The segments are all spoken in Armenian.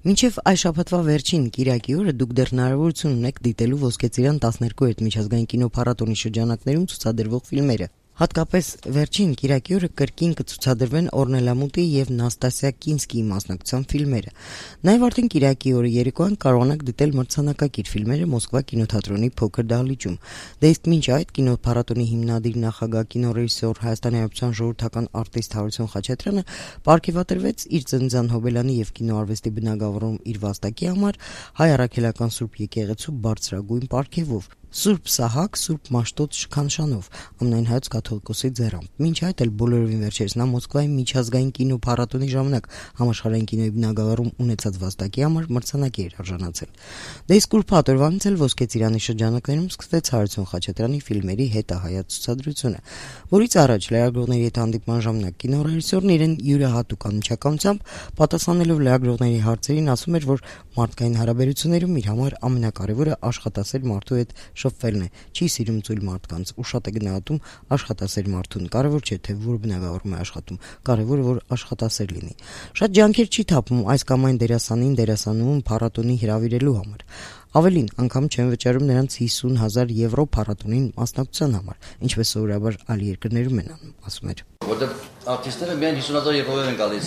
Մինչև այս շաբաթվա վերջին կիրակի օրը դուք դեռ հնարավորություն ունեք դիտելու Ոսկե ծիրան 12 միջազգային կինոփառատոնի շրջանակներում ցուցադրվող ֆիլմերը։ Հատկապես վերջին կիրակի օրը կրկին կցուցադրվեն Օրնելա Մուտի եւ Նաստասիա Կինսկիի մասնակցությամբ ֆիլմերը։ Նաեւ արդեն կիրակի օրը երեկոյան կարողանաք դիտել մրցանակակիր ֆիլմերը Մոսկվա կինոթատրոնի փոքր դահլիճում։ Դե իսկ մինչ այդ կինոփառատոնի հիմնադիր նախագահ կինոռեժիսոր Հայաստանի Հանրապետության ժողովրդական արտիստ Հարություն Խաչատրյանը պարգևատրվեց իր ծննդյան հոբելանի եւ կինոարվեստի բնագավառում իր վաստակի համար Հայ առաքելական Սուրբ եկեղեցու բարձրագույն պարգևով։ Սուրբ Սահակ, Սուրբ Մաշտոց շքանշանով, ամենայն հայոց կաթողիկոսի ձեռամբ։ Մինչ այդ էլ բոլորովին վերջերս նա Մոսկվայի միջազգային կինոփառատոնի ժամանակ համաշխարհային կինոյի բնագավառում ունեցած վաստակի համար մրցանակի էր արժանացել։ Դե իսկ ուրբաթ օրվանից էլ Ոսկե ծիրանի շրջանակներում սկսվեց Հարություն Խաչատրյանի ֆիլմերի հետահայաց ցուցադրությունը, որից առաջ լրագրողների հետ հանդիպման ժամանակ կինոռեժիսորն իրեն յուրահատուկ անմիջականությամբ պատասխանելով լրագրողների հարցերին ասում էր, որ մարդկային հարաբերություններում իր համար ամենակարևորը աշխատասեր մարդու հետ շփվելն է, չի սիրում ծույլ մարդկանց ու շատ է գնահատում աշխատասեր մարդուն։ Կարևոր չէ, թե որ բնագավառում է աշխատում, կարևորը որ աշխատասեր լինի։ Շատ ջանքեր չի թափում այս կամ այն դերասանին դերասանուհուն փառատոնի հրավիրելու համար։ Ավելին, անգամ չեն վճարում նրանց 50,000 եվրո փառատոնին մասնակցության համար, ինչպես սովորաբար այլ երկրներում են անում, ասում էր։ Որտեղ արտիստները միայն 50,000 եվրո են գալիս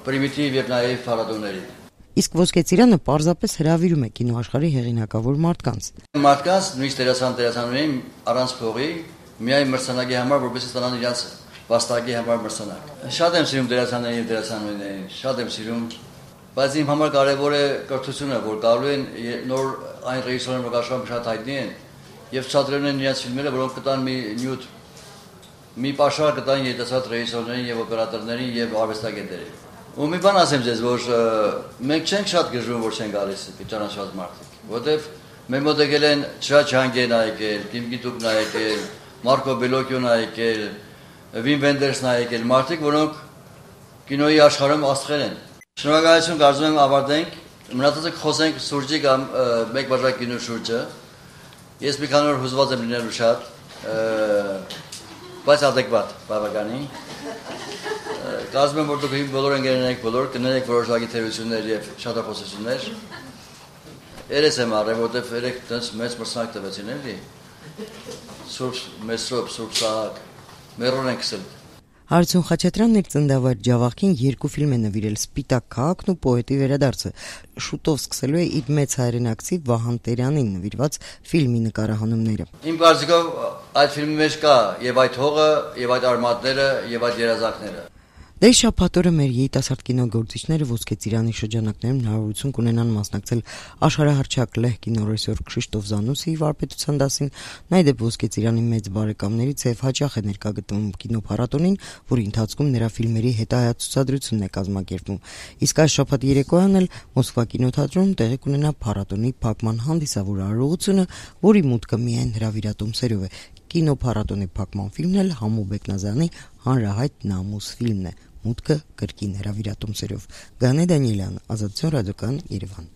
պրիմիտիվ եւ նաեւ փառատոնների։ Իսկ Ոսկե ծիրանը պարզապես հրավիրում է կինոաշխարհի հեղինակավոր մարդկանց։ Մարդկանց նույնիսկ դերասանուհին առանց փողի միայն մրցանակի համար, որպես ստանան իրաց վաստակի համար մրցանակ։ Շատ եմ սիրում դերասաններին եւ դերասանուհիներին, շատ եմ սիրում, բայց իմ համար կարևոր է կրթությունը, որ գալու են նոր այն ռեժիսորները, որ աշխարհում շատ հայտնի են եւ ցուցադրում են իրաց ֆիլմերը, որոնք կտան մի նյութ, մի պաշար կտան երիտասարդ ռեժիսորներին եւ օպերատորներին եւ արվեստագետներին։ Ու մի բան ասեմ ձեզ, որ մենք չենք շատ գժվում, որ չեն գալիս ճանաչված մարդիկ, որովհետև մեր մոտ եկել են Չհանգեն եկել, Կիմ Գիտուկն եկել, Մարկո Բելոկյոն եկել, Վին Վենդերսն եկել, մարդիկ, որոնք կինոյի աշխարհում աստղեր են։ Շնորհակալություն, կարծում եմ ավարտենք, մնացածը խոսենք սուրճի կամ մեկ բաժակ գինու շուրջը։ Ես մի քանի օր հուզված եմ լինելու շատ, բայց adekvat, բավականին։ Կարծում եմ, որ դուք բոլոր ընկերներեք բոլոր կներեք որոշակի թերություններ եւ շատախոսություններ։ Երես եմ առել, որտեվ երեք տենց մեծ մրցանակ տվեցին էլի։ Սուրբ Մեսրոպ, Սուրբ Սահակ, մերոն են քսել։ Հարություն Խաչատրյանն իր ծննդավայր Ջավախքին 2 ֆիլմ է նվիրել՝ Սպիտակ քաղաքն ու Պոետի վերադարձը։ Շուտով սկսելու է իր մեծ հայրենակցի Վահան Տերյանին նվիրված ֆիլմի նկարահանումները։ Իմ կարծիքով այդ ֆիլմի մեջ կա եւ այդ հողը, եւ այդ արմատները, եւ այդ երազանքները։ Դե շաբաթ օրը մեր երիտասարդ կինոգործիչները Ոսկե ծիրանի շրջանակներում հնարավորություն կունենան մասնակցել աշխարհահռչակ լեհ կինոռեժիսոր Քրիշտոֆ Զանուսիի վարպետության դասին, նայդեպ Ոսկե ծիրանի մեծ բարեկամներից եւ հաճախ է ներկա գտնվում կինոփառատոնին, որի ընթացքում նրա ֆիլմերի հետահայաց ցուցադրությունն է կազմակերպվում։ Իսկ այս շաբաթ երեկոյան էլ Մոսկվա կինոթատրոնում տեղի կունենա փառատոնի փակման հանդիսավոր արարողությունը, որի մուտքը միայն հրավիրատոմսերով է։ Կինոփառատոնի փակման ֆիլմն էլ Համո Բեկնազյանի հանրահայտ Նամուս ֆիլմն է։ Մուտքը կրկին հրավիրատոմսերով։ Գանե Դանիելյան, Ազատություն ռադիոկայան, Երևան։